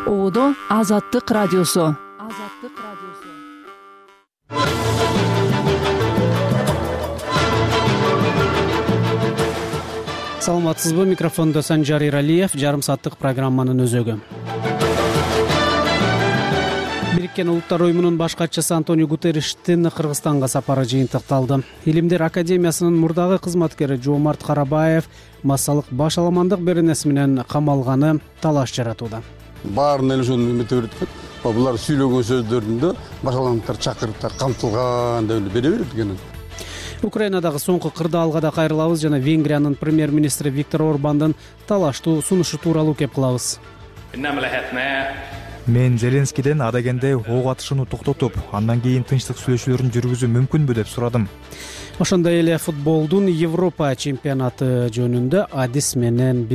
Оодо Азаттык радиосу. Саламатсызбы? Микрофондо Санжар Иралиев. Жарым сааттык программанын өзөгү. Бириккен Улуттар уюмунун баш катчысы Антонио Гутерриштин Кыргызстанга сапары жыйынтыкталды. Илимдер академиясынын мурдагы кызматкери Жоомарт Карабаев массалык башаламандык беренеси менен камалганы талаш жаратууда. Баарын эле ошону эмете берет экен. Булар сүйлөгөн сөздөрүндө башаламандыктар чакырып камтылган деп эле бере берет экен. Украинадагы соңку кырдаалга да кайрылабыз жана Венгриянын премьер-министри Виктор Орбандын талаштуу сунушу тууралуу кеп кылабыз. Мен Зеленскийден адегенде ок атышууну токтотуп, андан кийин тынчтык сүйлөшүүлөрүн жүргүзүү мүмкүнбү деп сурадым. Ошондой эле футболдун Европа чемпионаты жөнүндө адис менен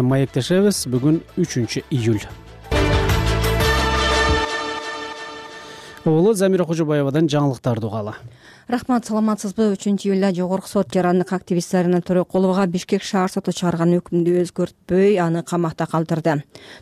маектешебиз. Бүгүн 3-июль. Оолу Замира Кожобаевадан жаңылыктарды угалы. Рахмат, саламатсызбы? 3-июлда Жогорку сот жарандык активист Зарина Төрөкулова Бишкек шаар соту чыгарган өкүмдү өзгөртпөй аны камакта калтырды.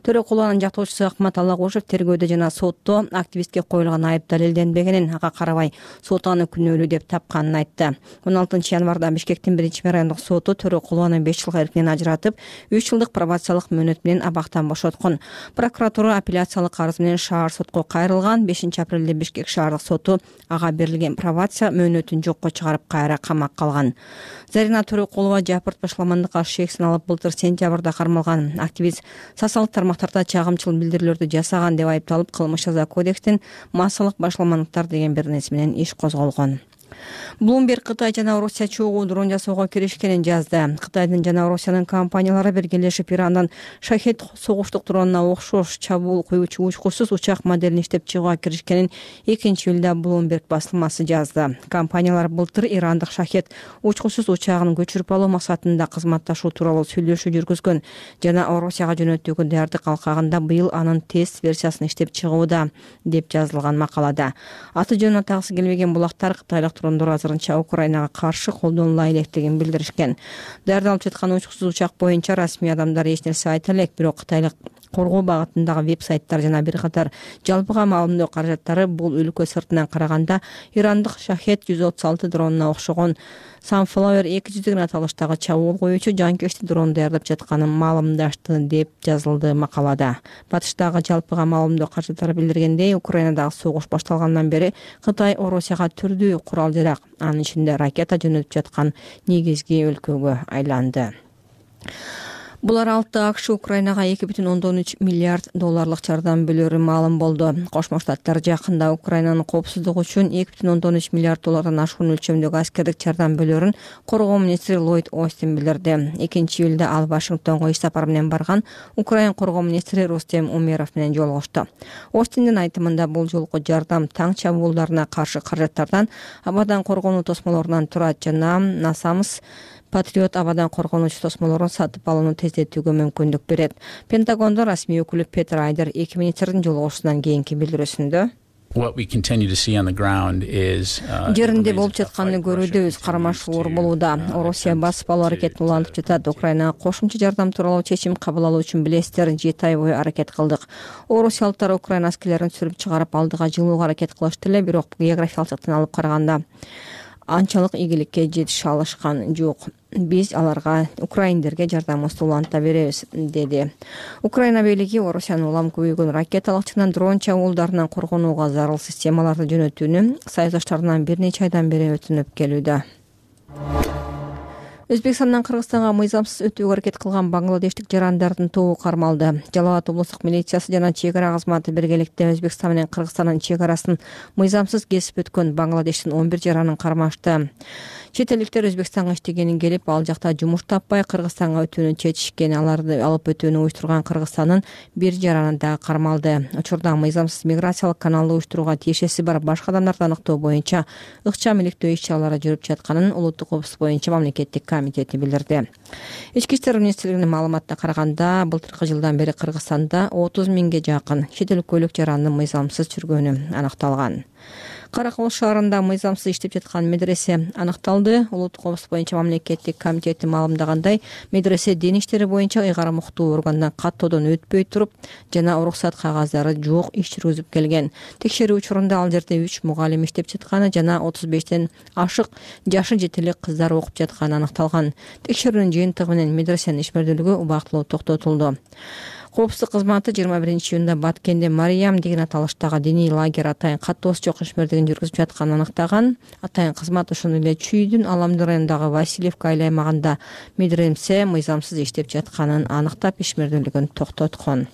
Төрөкулованын жактоочусу Акмат Алагошев тергөөдө жана сотто активистке коюлган айып далилденбегенин, ага карабай сот аны күнөөлүү деп тапканын айтты. 16 январда Бишкектин 1-райондук соту Төрөкулованы 5 жылга эркинен ажыратып, 3 жылдык пробациялык мөөнөт менен абактан бошоткон. Прокуратура апелляциялык арыз менен шаар сотко кайрылган. 5 апрелде Бишкек шаардык соту ага берилген пробация мөөнөтүн жокко чыгарып кайра камакка калган. Зарина Төрөкулова жапырт башаламандыкка шек саналып былтыр сентябрда кармалган. Активист социалдык тармактарда чагымчыл билдирүүлөрдү жасаган деп айыпталып, кылмыш жаза кодекстин массалык башаламандыктар деген беренеси менен иш козголгон. Bloomberg Кытай жана Орусия чогуу дрон жасоого киришкенин жазды. Кытайдын жана Орусиянын компаниялары биргелешип Ирандан Шахед согуштук дронуна окшош чабуул куюучу учкусуз учак моделин иштеп чыгууга киришкенин 2-июлда Bloomberg басылмасы жазды. Компаниялар былтыр ирандык Шахед учкусуз учагын көчүрүп алуу максатында кызматташуу тууралуу сүйлөшүү жүргүзгөн жана Орусияга жөнөтүүгө даярдык алкагында быйыл анын тест версиясын иштеп чыгууда деп жазылган макалада. Аты жөнүн атагысы келбеген булактар кытайлык дрондор азырынча Украинага каршы колдонула электигин билдиришкен. Даярдалып жаткан учкусуз учак боюнча расмий адамдар эч нерсе айта элек, бирок кытайлык коргоо багытындагы веб-сайттар жана бир катар жалпыга маалымдоо каражаттары бул өлкө сыртынан караганда ирандык Шахед 136 дронуна окшогон Sunflower 200 деген аталыштагы чабуул коюучу жанкечти дрон даярдап жатканын маалымдашты деп жазылды макалада. Батыштагы жалпыга маалымдоо каражаттары билдиргендей, Украинадагы согуш башталгандан бери Кытай Орусияга түрдүү курал-жарак, анын ичинде ракета жөнөтүп жаткан негизги өлкөгө айланды. Булар алты АКШ Украинага 2,13 миллиард долларлык жардам бөлөрү маалым болду. Кошмо Штаттар жакында Украинанын коопсуздугу үчүн 2,13 миллиард доллардан ашуун өлчөмдөгү аскердик жардам бөлөрүн коргоо министри Ллойд Остин билдирди. 2-июлда ал Вашингтонго иш сапар менен барган Украин коргоо министри Рустем Умеров менен жолугушту. Остиндин айтымында бул жолку жардам таң чабуулдарына каршы каражаттардан, абадан коргонуу тосмолорунан турат жана Насамс Патриот абадан коргонуучу тосмолорун сатып алууну тездетүүгө мүмкүндүк берет. Пентагондо расмий өкүлү Петер Айдер 2 министрдин жолугушуунан кийинки билдирүүсүндө жеринде болуп жатканды көрүүдөбүз, кармашуулар болууда. Орусия басып алуу аракетин улантып жатат. Украинага кошумча жардам тууралуу чечим кабыл алуу үчүн билесиздер, 7 ай бою аракет кылдык. Орусиялыктар Украина аскерлерин сүрүп чыгарып алдыга жылууга аракет кылышты эле, бирок географиялык жактан алып караганда анчалык ийгиликке жетише алышкан жок. Биз аларга, украиндерге жардамыбызды уланта беребиз, деди. Украина бийлиги Орусиянын улам көбөйгөн ракеталык жана дрон чабуулдарынан коргонууга зарыл системаларды жөнөтүүнү саясатташтарынан бир нече айдан бери өтүнүп келүүдө. Өзбекстандан Кыргызстанга мыйзамсыз өтүүгө аракет кылган бангладештик жарандардын тобу кармалды. Жалал Абад облустук милициясы жана чек ара кызматы биргеликте Өзбекстан менен Кыргызстандын чек арасын мыйзамсыз кесип өткөн Бангладештин 11 жаранын кармашты. Чет элдиктер Өзбекстанга иштегенин келип, ал жакта жумуш таппай Кыргызстанга өтүүнү чечишкен. Аларды алып өтүүнү уюштурган Кыргызстандын бир жараны да кармалды. Учурда мыйзамсыз миграциялык каналды уюштурууга тиешеси бар башка адамдарды аныктоо боюнча ыкчам иликтөө иш-чаралары жүрүп жатканын Улуттук коопсуздук боюнча мамлекеттик комитети билдирди. Ички иштер министрлигинин маалыматына караганда, былтыркы жылдан бери Кыргызстанда 30 миңге жакын чет өлкөлүк жарандын мыйзамсыз жүргөнү аныкталган. Кара Кобуз шаарында мыйзамсыз иштеп жаткан медресе аныкталды. Улуттук кооз боюнча мамлекеттик комитети маалымдагандай, медресе дин иштери боюнча ыйгарым уктуу органдан каттоодон өтпөй туруп жана уруксат кагаздары жок иш жүргүзүп келген. Текшерүү учурунда ал жерде 3 мугалим иштеп жатканы жана 35тен ашык жашы жетелик кыздар окуп жатканы аныкталган. Текшерүүнүн жыйынтыгы менен медресенин ишмердүүлүгү убактылуу токтотулду. Коопсуздук кызматы 21-июнда Баткенде Мариям деген аталыштагы диний лагерь атайын каттоосу жок ишмердигин жүргүзүп жатканын аныктаган. Атайын кызмат ошондой эле Чүйдүн Аламды районундагы Васильевка айыл аймагында медресе мыйзамсыз иштеп жатканын аныктап, ишмердүүлүгүн токтоткон.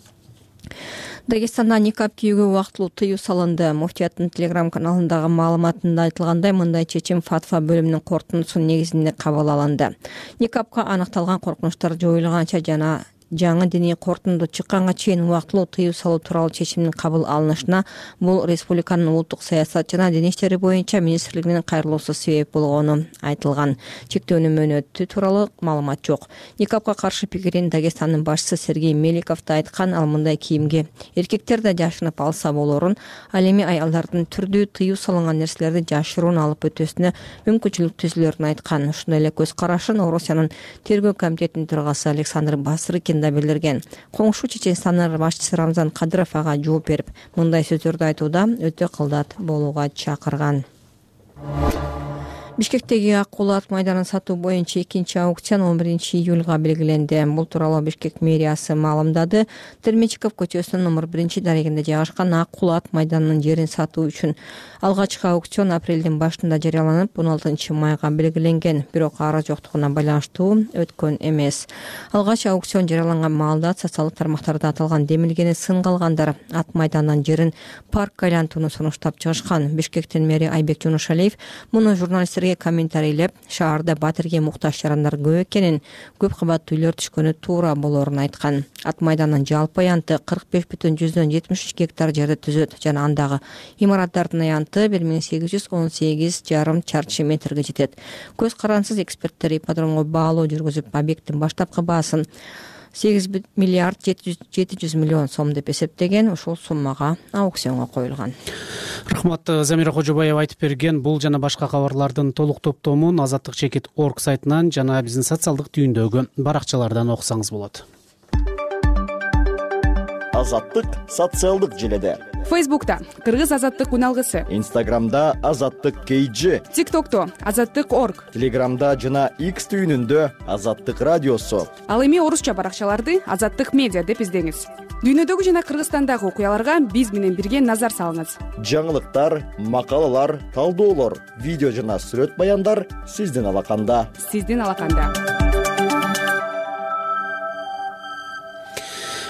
Дагестанда никап кийүүгө убактылуу тыюу салынды. Муфтияттын Telegram каналындагы маалыматында айтылгандай, мындай чечим фатва бөлүмүнүн корутундусунун негизинде кабыл алынды. Никапка аныкталган коркунучтар жоюлганча жана жаңы диний корутунду чыкканга чейин убактылуу тыюу салуу тууралуу чечимдин кабыл алынышына бул республиканын улуттук саясат жана дин иштери боюнча министрлигинин кайрылуусу себеп болгону айтылган. Чектөөнүн мөөнөтү тууралуу маалымат жок. Никапка каршы пикирин Дагестандын башчысы Сергей Меликов да айткан. Ал мындай кийимге эркектер да жашынып алса болорун, ал эми аялдардын түрдүү тыюу салынган нерселерди жашыруун алып өтөсүнө мүмкүнчүлүк түзүлөрүн айткан. Ошондой эле көз карашын Орусиянын тергөө комитетинин төрагасы Александр Басрыкин да билдирген. Коңшу Чеченстандын башчысы Рамзан Кадыров ага жооп берип, мындай сөздөрдү айтууда өтө кылдат болууга чакырган. Бишкектеги Ак Кулат майданын сатуу боюнча 2-аукцион 11-июлга белгиленди. Бул тууралуу Бишкек мэриясы маалымдады. Термичков көчөсүнүн номер 1-дарегинде жайгашкан Ак Кулат майданынын жерин сатуу үчүн алгачкы аукцион апрелдин башында жарыяланып, 16-майга белгиленген, бирок ара жоктугуна байланыштуу өткөн эмес. Алгач аукцион жарыяланган маалда социалдык тармактарда аталган демилгени сын калгандар ат майданынын жерин паркка айлантууну сунуштап чыгышкан. Бишкектин мэри Айбек Жунушалиев муну журналисттерге комментарийлеп, шаарда батирге муктаж жарандар көп экенин, көп кабаттуу үйлөр түшкөнү туура болорун айткан. Ат майданынын жалпы аянты 45,73 гектар жерди түзөт жана андагы имараттардын аянты 1818,5 чарчы метрге жетет. Көз карансыз эксперттер ипподромго баалоо жүргүзүп, объекттин баштапкы баасын 8 миллиард 700 миллион сом деп эсептеген. Ошол суммага аукционго коюлган. Рахмат, Замира Кожобаева айтып берген. Бул жана башка кабарлардын толук топтомун azattik.org сайтынан жана биздин социалдык түйүндөгү баракчалардан окусаңыз болот. Азаттык социалдык желеде. Фейсбукта Кыргыз азаттык уналгысы, Инстаграмда Азаттык KG, ТикТокто azattik.org, Телеграмда жана X түйүнүндө Азаттык радиосу. Ал эми орусча баракчаларды Азаттык медиа деп издеңиз. Дүйнөдөгү жана Кыргызстандагы окуяларга биз менен бирге назар салыңыз. Жаңылыктар, макалалар, талдоолор, видео жана сүрөт баяндар сиздин алаканда.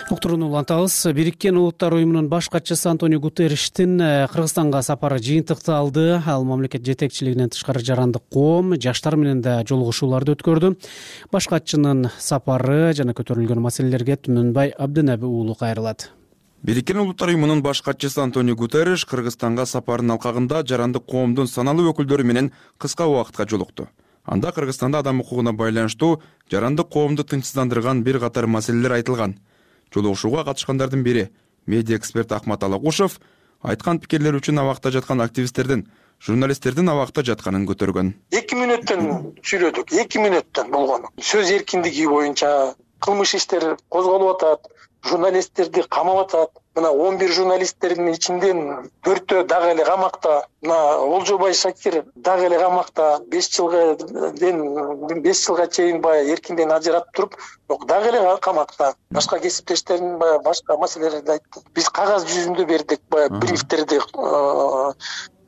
Уктурууну улантабыз. Бириккен Улуттар уюмунун баш катчысы Антонио Гутерриштин Кыргызстанга сапары жыйынтыкталды. Ал мамлекет жетекчилигинен тышкары жарандык коом, жаштар менен да жолугушууларды өткөрдү. Баш катчынын сапары жана көтөрүлгөн маселелерге Түмөнбай Абдынаби уулу кайрылат. Бириккен Улуттар уюмунун баш катчысы Антонио Гутерриш Кыргызстанга сапарынын алкагында жарандык коомдун саналуу өкүлдөрү менен кыска убакытка жолукту. Анда Кыргызстанда адам укугуна байланыштуу жарандык коомду тынчсыздандырган бир катар маселелер айтылган. Жолугушууга катышкандардын бири медиа эксперт Ахмат Алагушев айткан пикирлер үчүн абакта жаткан активисттердин, журналисттердин абакта жатканын көтөргөн. 2 мүнөттөн сүйлөдүк, 2 мүнөттөн болгон. Сөз эркиндиги боюнча кылмыш иштери козголуп атат, журналисттерди камап атат. Мына 11 журналисттердин ичинден 4-төө дагы эле камакта. Мына Олжобай Шакир дагы эле камакта 5 жылга чейин баягы эркинден ажыратып туруп, бирок дагы эле камакта. Башка кесиптештерин баягы башка маселелерди айтты. Биз кагаз жүзүндө бердик баягы брифтерди.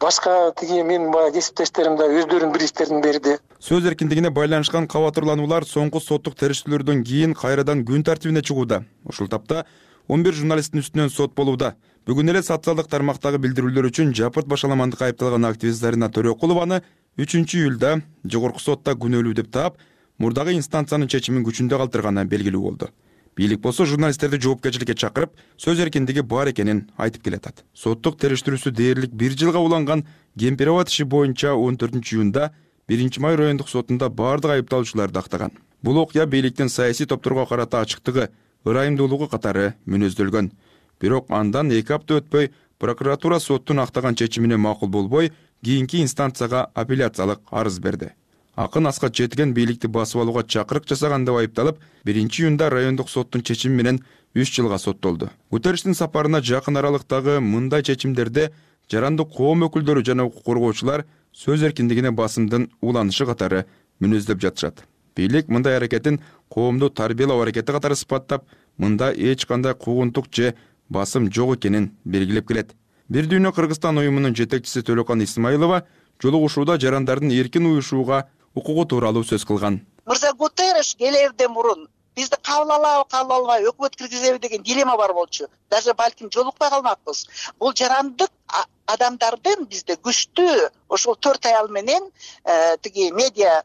Башка тиги мен баягы кесиптештерим да өздөрүнүн брифтерин берди. Сөз эркиндигине байланышкан кабатырлануулар соңку соттук териштирүүлөрдөн кийин кайрадан күн тартибине чыгууда. Ушул тапта 11 журналисттин үстүнөн сот болууда. Бүгүн эле социалдык тармактагы билдирүүлөр үчүн жапырт башаламандыкка айыпталган активист Зарина Төрөкулованы 3-июлда жогорку сотта күнөөлүү деп таап, мурдагы инстанциянын чечимин күчүндө калтырганы белгилүү болду. Бийлик болсо журналисттерди жоопкерчиликке чакырып, сөз эркиндиги бар экенин айтып келатат. Соттук териштирүүсү дээрлик 1 жылга уланган Кемпироват иши боюнча 14-июнда 1-май райондук сотунда бардык айыпталуучуларды актаган. Бул окуя бийликтин саясий топторго карата ачыктыгы, ырайымдуулугу катары мүнөздөлгөн. Бирок андан 2 апта өтпөй прокуратура соттун актаган чечимине макул болбой, кийинки инстанцияга апелляциялык арыз берди. Акын Аскат Четиген бийликти басып алууга чакырык жасаган деп айыпталып, 1-июнда райондук соттун чечими менен 3 жылга соттолду. Гутерриштин сапарына жакын аралыктагы мындай чечимдерде жарандык коом өкүлдөрү жана укук коргоочулар сөз эркиндигине басымдын уланышы катары мүнөздөп жатышат. Бийлик мындай аракетин коомду тарбиялоо аракети катары сыпаттап, мында эч кандай куугунтук же басым жок экенин белгилеп келет. Бир дүйнө Кыргызстан уюмунун жетекчиси Төлөкан Исмаилова жолугушууда жарандардын эркин уюшууга укугу тууралуу сөз кылган. Мырза Гутерриш келерден мурун бизди кабыл алабы, кабыл албайбы, өкмөт киргизеби деген дилемма бар болчу. Даже балким жолукпай калмакпыз. Бул жарандык адамдардын бизде күчтүү ошол 4 аял менен тиги медиа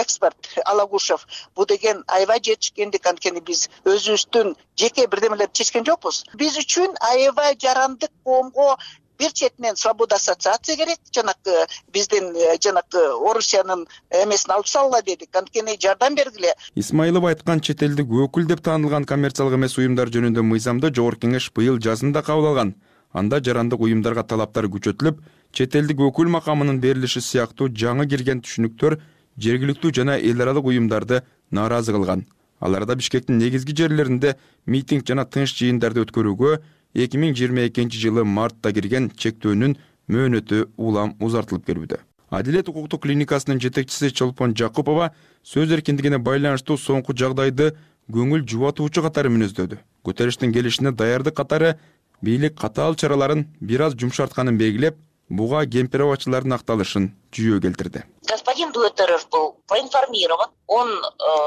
эксперт Алагушев бу деген аябай жетишкендик, анткени биз өзүбүздүн жеке бирдемелерди чечкен жокпуз. Биз үчүн аябай жарандык коомго бир четинен свобода ассоциация керек, жанакы биздин Орусиянын эмесин алып салгыла дедик, анткени жардам бергиле. Исмаилов айткан чет элдик өкүл деп таанылган коммерциялык эмес уюмдар жөнүндө мыйзамды Жогорку Кеңеш быйыл жазында кабыл алган. Анда жарандык уюмдарга талаптар күчөтүлүп, чет элдик өкүл макамынын берилиши сыяктуу жаңы кирген түшүнүктөр жергиликтүү жана эл аралык уюмдарды нааразы кылган. Аларда Бишкектин негизги жерлеринде митинг жана тынч жыйындарды өткөрүүгө 2022-жылы мартта кирген чектөөнүн мөөнөтү улам узартылып келүүдө. Адилет укуктук клиникасынын жетекчиси Чолпон Жакупова сөз эркиндигине байланыштуу соңку жагдайды көңүл жубатуучу катары мүнөздөдү. Гутерриштин келишине даярдык катары бийлик катаал чараларын бир аз жумшартканын белгилеп, буга кемпирабачылардын акталышын жүйө келтирди. Господин Гутерриш был проинформирован. Он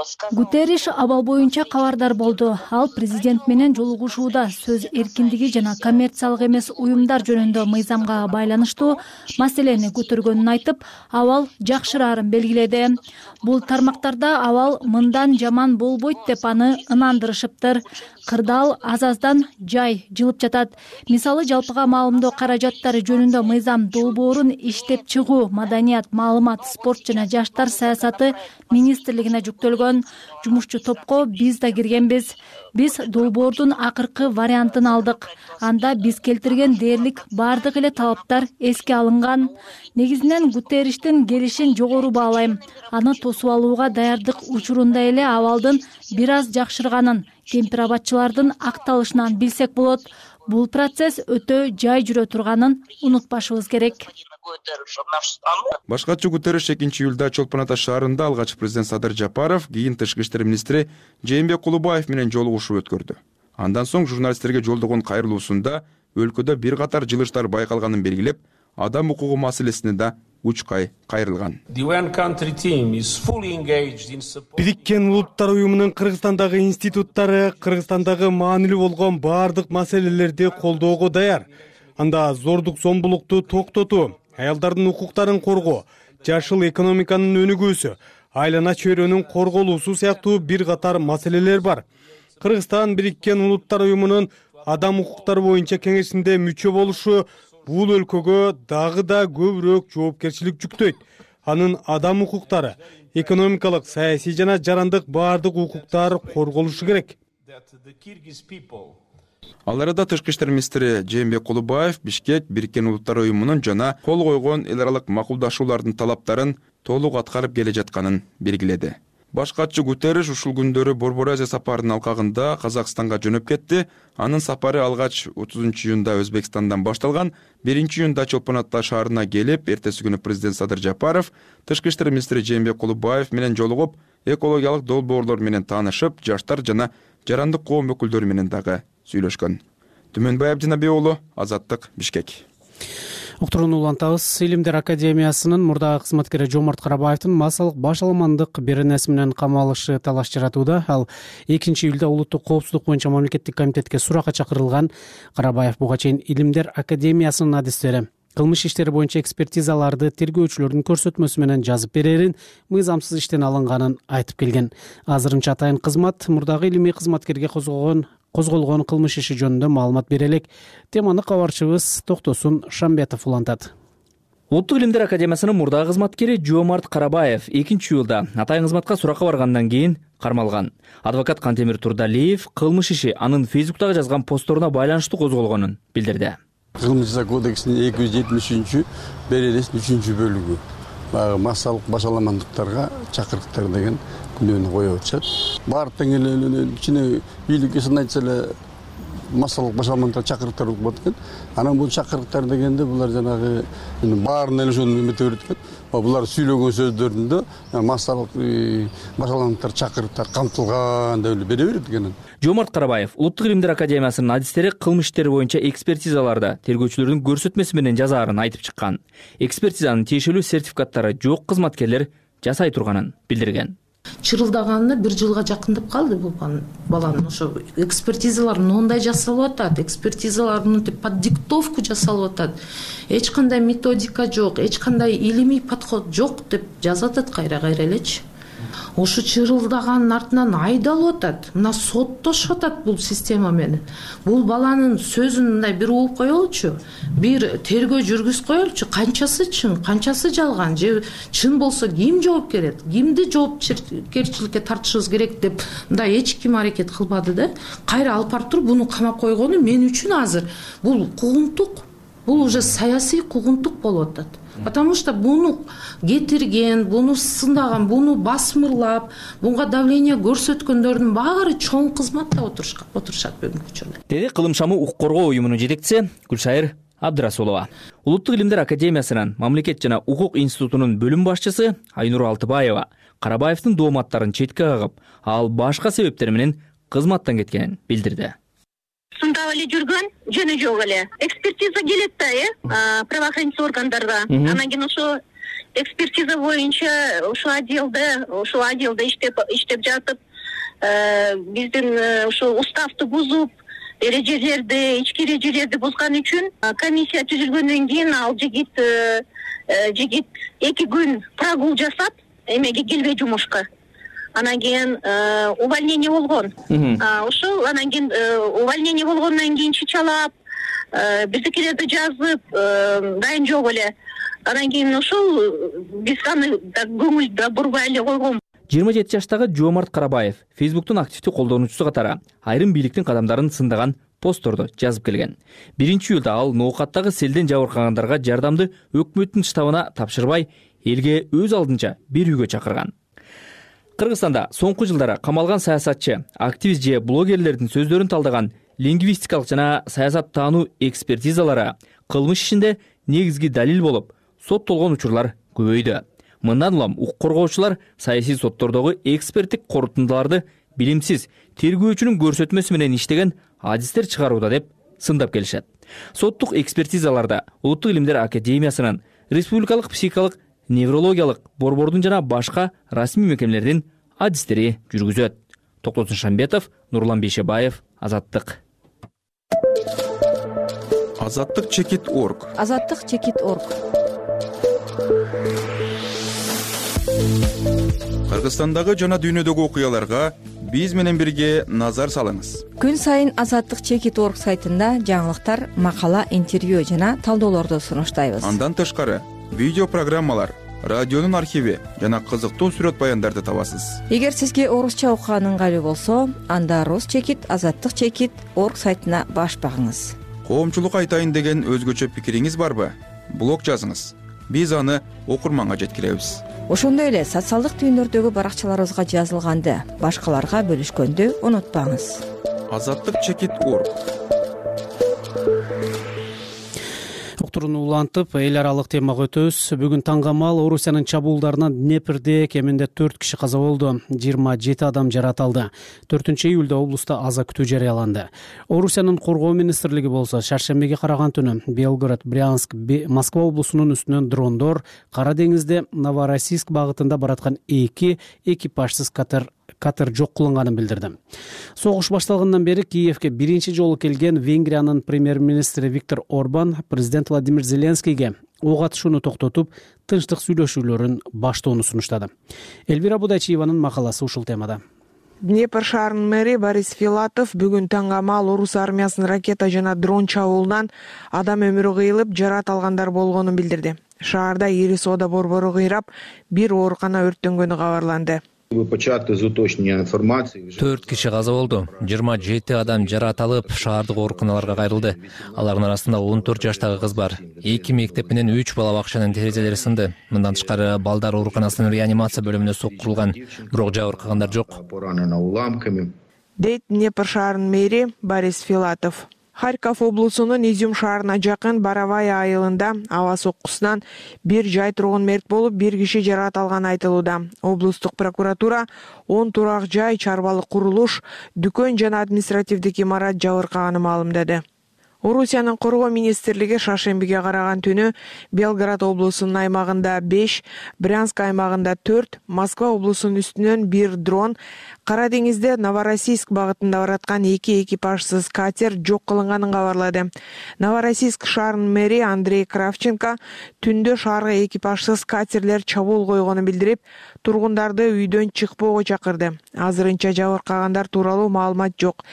сказал... Гутерриш абал боюнча кабардар болду. Ал президент менен жолугушууда сөз эркиндиги жана коммерциялык эмес уюмдар жөнүндө мыйзамга байланыштуу маселени көтөргөнүн айтып, абал жакшыраарын белгиледи. Бул тармактарда абал мындан жаман болбойт деп аны ынандырышыптыр. Кырдаал аз-аздан жай жылып жатат. Мисалы, жалпыга маалымдоо каражаттары жөнүндө мыйзам долбоорун иштеп чыгуу, маданият, маалымат, спорт жана жаштар саясаты министрлигине жүктөлгөн. Жумушчу топко биз да киргенбиз. Биз долбоордун акыркы вариантын алдык. Анда биз келтирген дээрлик бардык эле талаптар эске алынган. Негизинен Гутерриштин келишин жогору баалайм. Аны тосуп алууга даярдык учурунда эле абалдын бир аз жакшырганын, кемпирабатчылардын акталышынан билсек болот. Бул процесс өтө жай жүрө турганын унутпашыбыз керек. Башкачы Гутерриш 2-июлда Чолпон Ата шаарында алгач президент Садыр Жапаров, кийин тышкы иштер министри Жээнбек Кулубаев менен жолугушуу өткөрдү. Андан соң журналисттерге жолдогон кайрылуусунда өлкөдө бир катар жылыштар байкалганын белгилеп, адам укугу маселесине да учкай кайрылган. Бириккен Улуттар уюмунун Кыргызстандагы институттары Кыргызстандагы маанилүү болгон бардык маселелерди колдоого даяр. Анда зордук зомбулукту токтотуу, аялдардын укуктарын коргоо, жашыл экономиканын өнүгүүсү, айлана чөйрөнүн корголуусу сыяктуу бир катар маселелер бар. Кыргызстан Бириккен Улуттар уюмунун адам укуктары боюнча кеңешинде мүчө болушу бул өлкөгө дагы да көбүрөөк жоопкерчилик жүктөйт. Анын адам укуктары, экономикалык, саясий жана жарандык бардык укуктар корголушу керек. Ал арада тышкы иштер министри Жээнбек Кулубаев Бишкек Бириккен Улуттар уюмунун жана кол койгон эл аралык макулдашуулардын талаптарын толук аткарып келе жатканын белгиледи. Башкачы Гутерриш ушул күндөрү Борбор Азия сапарынын алкагында Казакстанга жөнөп кетти. Анын сапары алгач 30-июнда Өзбекстандан башталган. 1-июнда Чолпон Ата шаарына келип, эртеси күнү президент Садыр Жапаров тышкы иштер министри Жээнбек Кулубаев менен жолугуп, экологиялык долбоорлор менен таанышып, жаштар жана жарандык коом өкүлдөрү менен дагы сүйлөшкөн. Түмөнбай Абдинаби уулу, Азаттык, Бишкек. Уктурууну улантабыз. Илимдер академиясынын мурдагы кызматкери Жомарт Карабаевдин массалык башаламандык беренеси менен камалышы талаш жаратууда. Ал 2-июлда улуттук коопсуздук боюнча мамлекеттик комитетке суракка чакырылган. Карабаев буга чейин Илимдер академиясынын адистери кылмыш иштери боюнча экспертизаларды тергөөчүлөрдүн көрсөтмөсү менен жазып берерин, мыйзамсыз иштен алынганын айтып келген. Азырынча атайын кызмат мурдагы илимий кызматкерге козголгон кылмыш иши жөнүндө маалымат бере элек. Теманы кабарчыбыз Токтосун Шамбетов улантат. Улуттук илимдер академиясынын мурдагы кызматкери Жомарт Карабаев 2-июлда атайын кызматка суракка баргандан кийин кармалган. Адвокат Кантемир Турдалиев кылмыш иши анын Фейсбуктагы жазган постторуна байланыштуу козголгонун билдирди. Кылмыш жаза кодексинин 273 беренесинин 3-бөлүгү баягы массалык башаламандыктарга чакырыктар деген күнөөнү коюп атышат. Баардык эле кичине бийликке сын айтса эле массалык башаламандыктар чакырыктар болуп атат экен. Анан бул чакырыктар дегенде булар жанагы баарына эле ошону эмете берет экен. Булар сүйлөгөн сөздөрүндө массалык башаламандыктар чакырыктар камтылган деп эле бере берет экен. Жоомарт Карабаев Улуттук илимдер академиясынын адистери кылмыш иштери боюнча экспертизаларда тергөөчүлөрдүн көрсөтмөсү менен жазаарын айтып чыккан. Экспертизанын тиешелүү сертификаттары жок кызматкерлер жасай турганын билдирген. Чырылдаганына 1 жылга жакындап калды бул баланын. Ошо экспертизалар мындай жасалып атат, экспертизалар под диктовку жасалып атат. Эч кандай методика жок, эч кандай илимий подход жок деп жазат атат кайра элечи. Ошо чырылдаганын артынан айдалып атат. Мына соттошуп атат бул система менен. Бул баланын сөзүн мындай бир угуп коелучу, бир тергөө жүргүзүп коелучу, канчасы чын, канчасы жалган, же чын болсо ким жооп берет, кимди жоопкерчиликке тартышыбыз керек деп мындай эч ким аракет кылбады да. Кайра алып барып туруп буну камап койгону мен үчүн азыр бул куугунтук, бул уже саясий куугунтук болуп атат. Потому что буну кетирген, буну сындаган, буну басмырлап, буга давление көрсөткөндөрдүн баары чоң кызматта отурушат бүгүнкү учурда. Деди Кылым шамы укук коргоо уюмунун жетекчиси Гүлшайыр Абдырасулова. Улуттук илимдер академиясынын Мамлекет жана укук институтунун бөлүм башчысы Айнур Алтыбаева Карабаевдин дооматтарын четке кагып, ал башка себептер менен кызматтан кеткенин билдирди. Сындап эле жүргөн, жөнү жок эле. Экспертиза келет да, правоохранительный органдарга. Анан кийин ошо экспертиза боюнча ошо отделде иштеп жатып, биздин ошо уставды бузуп, ички эрежелерди бузган үчүн комиссия түзүлгөндөн кийин ал жигит 2 күн прогул жасап, эмеге келбей жумушка. Анан кийин увольнение болгон. Ошол анан кийин увольнение болгондон кийин чычалап, биздикилерди жазып, дайын жок эле. Анан кийин ошол биз аны көңүл да бурбай эле койгон. 27 жаштагы Жоомарт Карабаев Facebooktун активдүү колдонуучусу катары айрым бийликтин кадамдарын сындаган постторду жазып келген. 1-июлда ал ноокаттагы селден жабыркагандарга жардамды өкмөттүн штабына тапшырбай, элге өз алдынча бир үйгө чакырган. Кыргызстанда соңку жылдары камалган саясатчы, активист же блогерлердин сөздөрүн талдаган лингвистикалык жана саясат таануу экспертизалары кылмыш ишинде негизги далил болуп, соттолгон учурлар көбөйдү. Мындан улам укук коргоочулар саясий соттордогу эксперттик корутундуларды билимсиз тергөөчүнүн көрсөтмөсү менен иштеген адистер чыгарууда деп сындап келишет. Соттук экспертизаларда Улуттук илимдер академиясынын, республикалык психикалык неврологиялык борбордун жана башка расмий мекемелердин адистери жүргүзөт. Токтосун Шамбетов, Нурлан Бейшебаев, Азаттык. Азаттык.org. Азаттык.org. Кыргызстандагы жана дүйнөдөгү окуяларга биз менен бирге назар салыңыз. Күн сайын Азаттык.org сайтында жаңылыктар, макала, интервью жана талдоолорду сунуштайбыз. Андан тышкары видео программалар, радионун архиви жана кызыктуу сүрөт баяндарды табасыз. Эгер сизге орусча окуган ыңгайлуу болсо, анда rus.azаттык.org сайтына баш багыңыз. Коомчулук айтайын деген өзгөчө пикириңиз барбы? Блог жазыңыз. Биз аны окурманга жеткиребиз. Ошондой эле социалдык түйүндөрдөгү баракчаларыбызга жазылганды башкаларга бөлүшкөндү унутпаңыз. Азаттык.org. Уктурууну улантып, эл аралык темага өтөбүз. Бүгүн таңгамал Орусиянын чабуулдарынан Днепрде кеминде 4 киши каза болду, 27 адам жаратылды. 4-июлда облуста аза күтүү жарыяланды. Орусиянын коргоо министрлиги болсо шаршембиге караган түнү Белгород, Брянск, Москва облусунун үстүнөн дрондор Кара деңизде Новороссийск багытында бараткан 2 экипажсыз катер жок кылынганын билдирди. Согуш башталгандан бери Киевке биринчи жолу келген Венгриянын премьер-министри Виктор Орбан президент Владимир Зеленскийге ок атышууну токтотуп, тынчтык сүйлөшүүлөрүн баштоону сунуштады. Элвира Будайчиеванын макаласы ушул темада. Днепр шаарынын мэри Борис Филатов бүгүн таңгамал орус армиясынын ракета жана дрон чабуулунан адам өмүрү кыйылып, жарат алгандар болгонун билдирди. Шаарда ири соода борбору кыйрап, бир оорукана өрттөнгөнү кабарланды. 4 киши каза болду, 27 адам жаракат алып шаардык ооруканаларга кайрылды. Алардын арасында 14 жаштагы кыз бар. 2 мектеп менен 3 бала бакчанын терезелери сынды. Мындан тышкары балдар ооруканасынын реанимация бөлүмүнө соккурулган, бирок жабыркагандар жок. Дейт Днепр шаарынын мэри Борис Филатов. Харьков облусунун Изюм шаарына жакын Боровая айылында аба соккусунан бир жай тургун мерт болуп, бир киши жаракат алганы айтылууда. Облустук прокуратура 10 турак жай, чарбалык курулуш, дүкөн жана административдик имарат жабыркаганын маалымдады. Орусиянын коргоо министрлиги шаршембиге караган түнү Белгород облусунун аймагында 5, Брянск аймагында 4, Москва облусунун үстүнөн 1 дрон, Кара деңизде Новороссийск багытында бараткан 2 экипажсыз катер жок кылынганын кабарлады. Новороссийск шаарынын мэри Андрей Кравченко түндө шаарга экипажсыз катерлер чабуул койгонун билдирип, тургундарды үйдөн чыкпоого чакырды. Азырынча жабыркагандар тууралуу маалымат жок.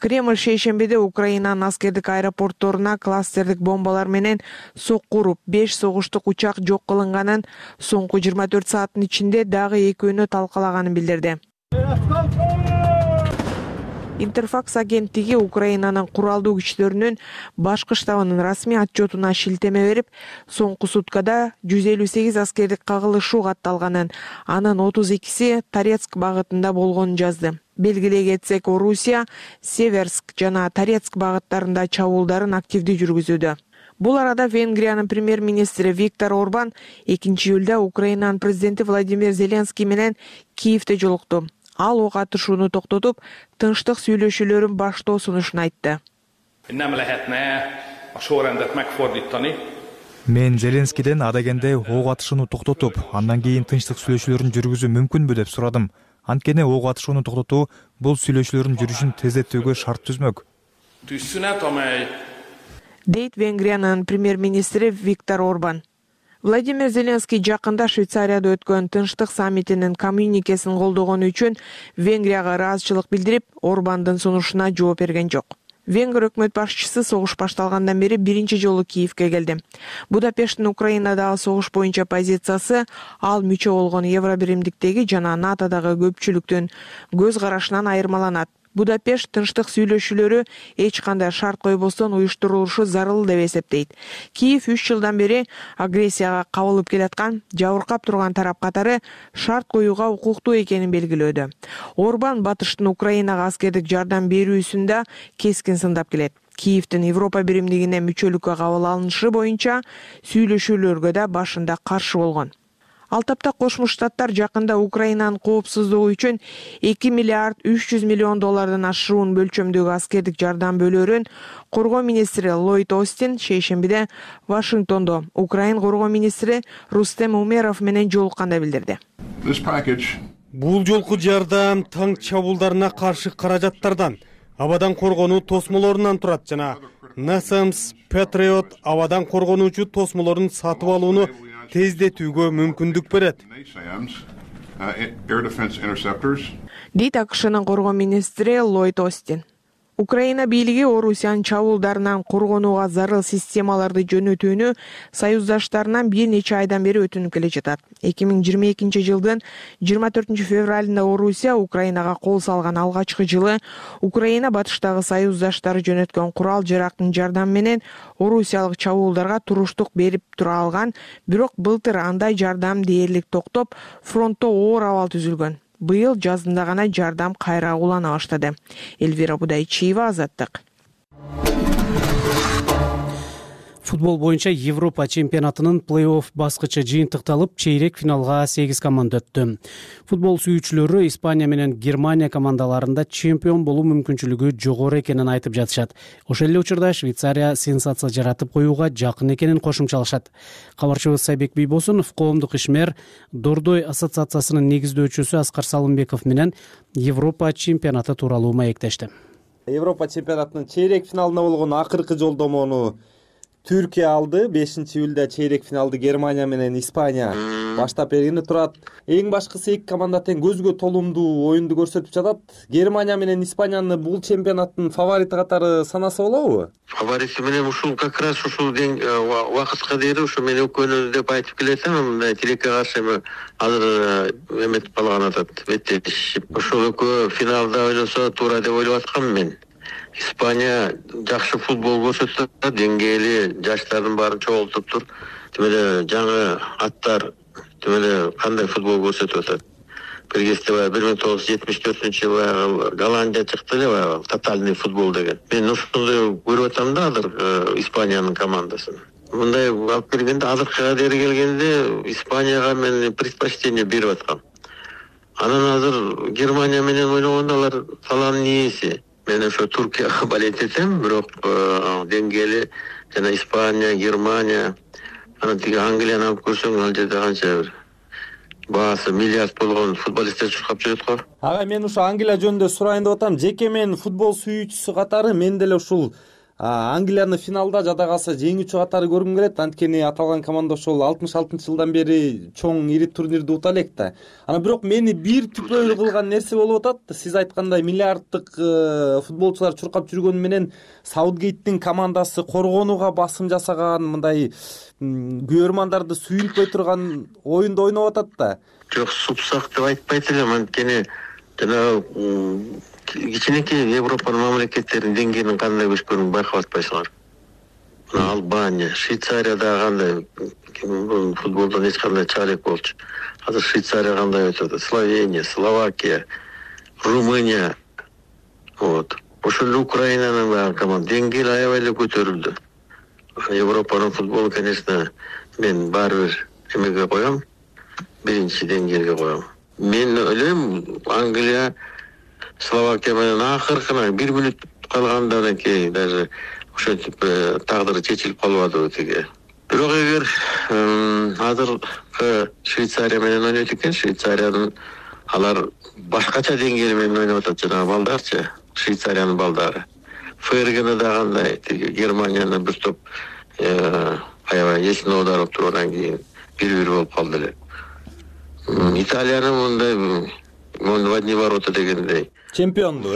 Кремль шейшембиде Украинанын аскердик аэропортторуна кластердик бомбалар менен сокку уруп, 5 согуштук учак жок кылынганын, соңку 24 сааттын ичинде дагы экөөнү талкалаганын билдирди. Интерфакс агенттиги Украинанын куралдуу күчтөрүнүн башкы штабынын расмий отчетуна шилтеме берип, соңку суткада 158 аскердик кагылышуу катталганын, анын 32си Торецк багытында болгонун жазды. Белгилей кетсек, Орусия Северск жана Торецк багыттарында чабуулдарын активдүү жүргүзүүдө. Бул арада Венгриянын премьер-министри Виктор Орбан 2-июлда Украинанын президенти Владимир Зеленский менен Киевде жолукту. Ал ок атышууну токтотуп, тынчтык сүйлөшүүлөрүн баштоо сунушун айтты. Мен Зеленскийден адегенде ок атышууну токтотуп, андан кийин тынчтык сүйлөшүүлөрүн жүргүзүү мүмкүнбү деп сурадым. Анткени ок атышууну токтотуу бул сүйлөшүүлөрдүн жүрүшүн тездетүүгө шарт түзмөк. Дейт Венгриянын премьер-министри Виктор Орбан. Владимир Зеленский жакында Швейцарияда өткөн тынчтык саммитинин коммюникесин колдогону үчүн Венгрияга ыраазычылык билдирип, Орбандын сунушуна жооп берген жок. Венгр өкмөт башчысы согуш башталгандан бери биринчи жолу Киевге келди. Будапешттин Украинадагы согуш боюнча позициясы ал мүчө болгон Евробиримдиктеги жана НАТОдагы көпчүлүктүн көз карашынан айырмаланат. Будапешт тынчтык сүйлөшүүлөрү эч кандай шарт койбостон уюштурулушу зарыл деп эсептейт. Киев 3 жылдан бери агрессияга кабылып келаткан, жабыркап турган тарап катары шарт коюуга укуктуу экенин белгилөөдө. Орбан батыштын Украинага аскердик жардам берүүсүн да кескин сындап келет. Киевдин Европа биримдигине мүчөлүккө кабыл алынышы боюнча сүйлөшүүлөргө да башында каршы болгон. Ал тапта Кошмо Штаттар жакында Украинанын коопсуздугу үчүн 2 миллиард 300 миллион доллардан ашуун бөлчөмдөгү аскердик жардам бөлөөрүн коргоо министри Ллойд Остин шейшембиде Вашингтондо Украин коргоо министри Рустем Умеров менен жолукканда билдирди. Бул жолку жардам танк чабуулдарына каршы каражаттардан, абадан коргонуу тосмолорунан турат жана NASAMS Patriot абадан коргонуучу тосмолорун сатып алууну тездетүүгө мүмкүндүк берет. Дейт АКШнын коргоо министри Ллойд Остин. Украина бийлиги Орусиянын чабуулдарынан коргонууга зарыл системаларды жөнөтүүнү союздаштарынан бир нече айдан бери өтүнүп келе жатат. 2022 жылдын 24 февралында Орусия Украинага кол салган алгачкы жылы Украина батыштагы союздаштары жөнөткөн курал жарактын жардамы менен орусиялык чабуулдарга туруштук берип тура алган, бирок былтыр андай жардам дээрлик токтоп, фронтто оор абал түзүлгөн. Быйыл жазында гана жардам кайра улана баштады. Эльвира Будайчиева, Азаттык. Футбол боюнча Европа чемпионатынын плей-офф баскычы жыйынтыкталып, чейрек финалга 8 команда өттү. Футбол сүйүүчүлөрү Испания менен Германия командаларында чемпион болуу мүмкүнчүлүгү жогору экенин айтып жатышат. Ошол эле учурда Швейцария сенсация жаратып коюуга жакын экенин кошумчалашат. Кабарчыбыз Сайбек Бийбосунов коомдук ишмер Дордой ассоциациясынын негиздөөчүсү Аскар Салымбеков менен Европа чемпионаты тууралуу маектешти. Европа чемпионатынын чейрек финалына болгон акыркы жолдомону Түркия алды. 5-июлда чейрек финалды Германия менен Испания баштап бергени турат. Эң башкысы эки команда тең көзгө толумдуу оюнду көрсөтүп жатат. Германия менен Испанияны бул чемпионаттын фаворити катары санаса болобу? Фаворити менен ушул как раз ушул убакытка дейин ушу мен өкөнү деп айтып келетим. Мындай тилекке каршы азыр эметип калган атат. Беттешип. Ушул экөө финалда ойлосо туура деп ойлоп аткам мен. Испания жакшы футбол көрсөтөт, деңгээли жаштардын баарын чогултуптур. Тим эле жаңы аттар тим эле кандай футбол көрсөтүп атат. Бир кезде 1974-жылы Голландия чыкты эле, тотальный футбол деген. Мен ушуну көрүп атам да азыр Испаниянын командасын. Мындай алып келгенде азыркы кадери келгенде Испанияга мен предпочтение берип аткам. Анан азыр Германия менен ойногондо алар саланын ээси. Мен ошо Туркияга болеть этем, бирок деңгээли жана Испания, Германия, анан тиги Англияны алып көрсөң, ал жерде канча бир баасы миллиард болгон футболисттер чуркап жүрөт го. Ага, мен ушу Англия жөнүндө сурайын деп атам. Жеке мен футбол сүйүүчүсү катары мен деле ушул Англияны финалда жада калса жеңүүчү катары көргүм келет. Анткени аталган команда ошол 66-жылдан бери чоң ири турнирди ута элек да. Анан бирок мени бир түпөй кылган нерсе болуп атат. Сиз айткандай миллиарддык футболчулар чуркап жүргөнү менен Саутгейттин командасы коргонууга басым жасаган, мындай күйөрмандарды сүйүлтпөй турган оюнду ойноп атат да. Жок, супсак деп айтпайт элем, анткени жана кичинекей Европанын мамлекеттеринин деңгээлин кандай өскөнүн байкап атпайсыңар. Албания, Швейцарияда кандай футболдон эч кандай чыга элек болчу. Азыр Швейцария кандай өтөт? Словения, Словакия, Румыния. Вот. Ошол эле Украинанын баягы команда деңгээли аябай эле көтөрүлдү. Европанын футболу, конечно, мен баары бир эмеге коем, биринчи деңгээлге коем. Мен ойлойм, Англия Словакия менен акыркына 1 мүнөт калгандан кийин даже ошентип тагдыры чечилип калбадыбы тиги. Бирок эгер азыркы Швейцария менен ойнойт экен, Швейцариянын алар башкача деңгээли менен ойноп атат жанагы балдарчы, Швейцариянын балдары. Фергена да кандай тиги Германияны бир топ аябай эсине оодарып тургандан кийин 1-1 болуп калды эле. Италиянын мындай в одни ворота дегендей. Чемпионду,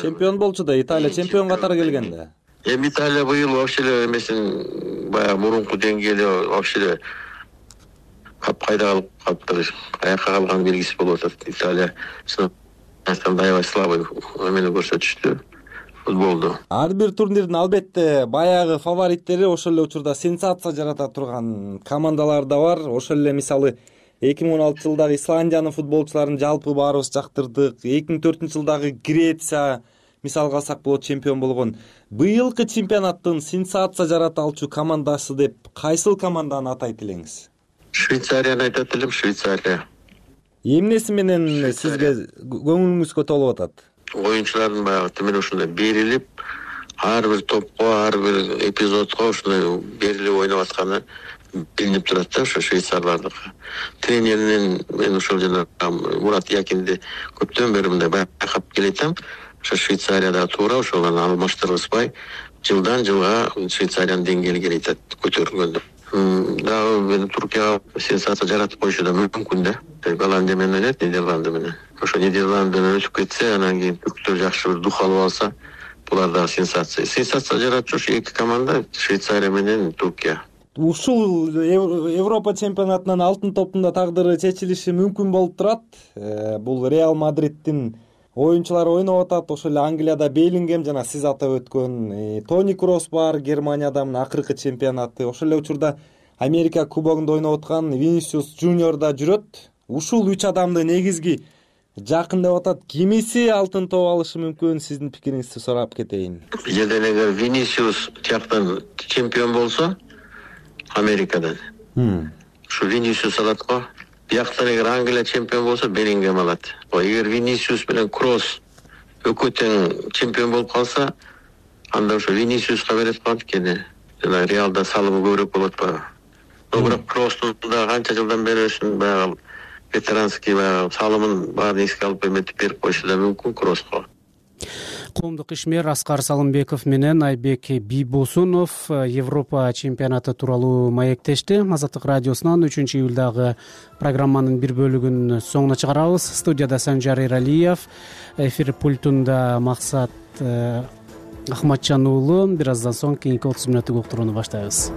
Чемпион болчу да, Италия чемпион катары келгенде. Италия быйыл вообще эле эмесин баягы мурунку деңгээли вообще эле кайда калып калыптыр, аякка калган белгиси болуп атат. Италия чынында аябай слабый эмени көрсөтүштү футболду. Ар бир турнирдин албетте баягы фавориттери, ошол эле учурда сенсация жарата турган командалар да бар. Ошол эле мисалы 2016-жылдагы Исландиянын футболчуларын жалпы баарыбыз жактырдык. 2004-жылдагы Греция мисалга алсак болот чемпион болгон. Быйылкы чемпионаттын сенсация жарата алчу командасы деп кайсыл команданы атайт элеңиз? Швейцарияны айтат элем, Швейцария. Эмнеси менен сизге көңүлүңүзгө толуп атат? Оюнчулардын баягы темен ушундай берилип, ар бир топко, ар бир эпизодко ушундай берилип ойноп атканы билинип турат да, ошо швейцарлардыкы. Тренеринин мен ошол жана Мурат Якинди көптөн бери мындай байкап келетем. Ошо Швейцарияда туура ошолорду алмаштырбай жылдан жылга Швейцариянын деңгээли келет көтөрүлгөндө. Дагы мен Туркияга сенсация жаратып коюшу да мүмкүн да. Голландия менен ойнойт, Нидерланды менен. Ошо Нидерландыны өтүп кетсе, анан кийин түрктөр жакшы бир дух алып алса, булар дагы сенсация. Сенсация жаратчу эки команда Швейцария менен Туркия. Ушул Европа чемпионатынын алтын топунда тагдыры чечилиши мүмкүн болуп турат. Бул Реал Мадриттин оюнчулары ойноп атат. Ошол эле Англияда Беллингем жана сиз атап өткөн Тони Кросс бар, Германияда мына акыркы чемпионаты. Ошол эле учурда Америка кубогунда ойноп аткан Винисиус Жуниор да жүрөт. Ушул 3 адамды негизги жакын деп атат. Кимиси алтын топ алышы мүмкүн? Сиздин пикириңизди сурап кетейин. Жерден эгер Винисиус жактан чемпион болсо, Америкадан. Ушу Винисиус алат го. Бияктан эгер Англия чемпион болсо, Беллингем алат. Эгер Винисиус менен Кросс экөө тең чемпион болуп калса, анда ошо Винисиуска берет го, анткени жана Реалда салымы көбүрөөк болот ба. Бирок Кросстун да канча жылдан бери ушун баягы ветеранский баягы салымын баарын эске алып эметип берип коюшу да мүмкүн Кросска. коомдук ишмер Аскар Салымбеков менен Айбек Бийбосунов Европа чемпионаты тууралуу маектешти. Азаттык радиосунан 3-июлдагы программанын бир бөлүгүн соңуна чыгарабыз. Студияда Санжар Эралиев, эфир пультунда Максат Ахматжан уулу. Бир аздан соң кийинки 30 мүнөттүк уктурууну баштайбыз.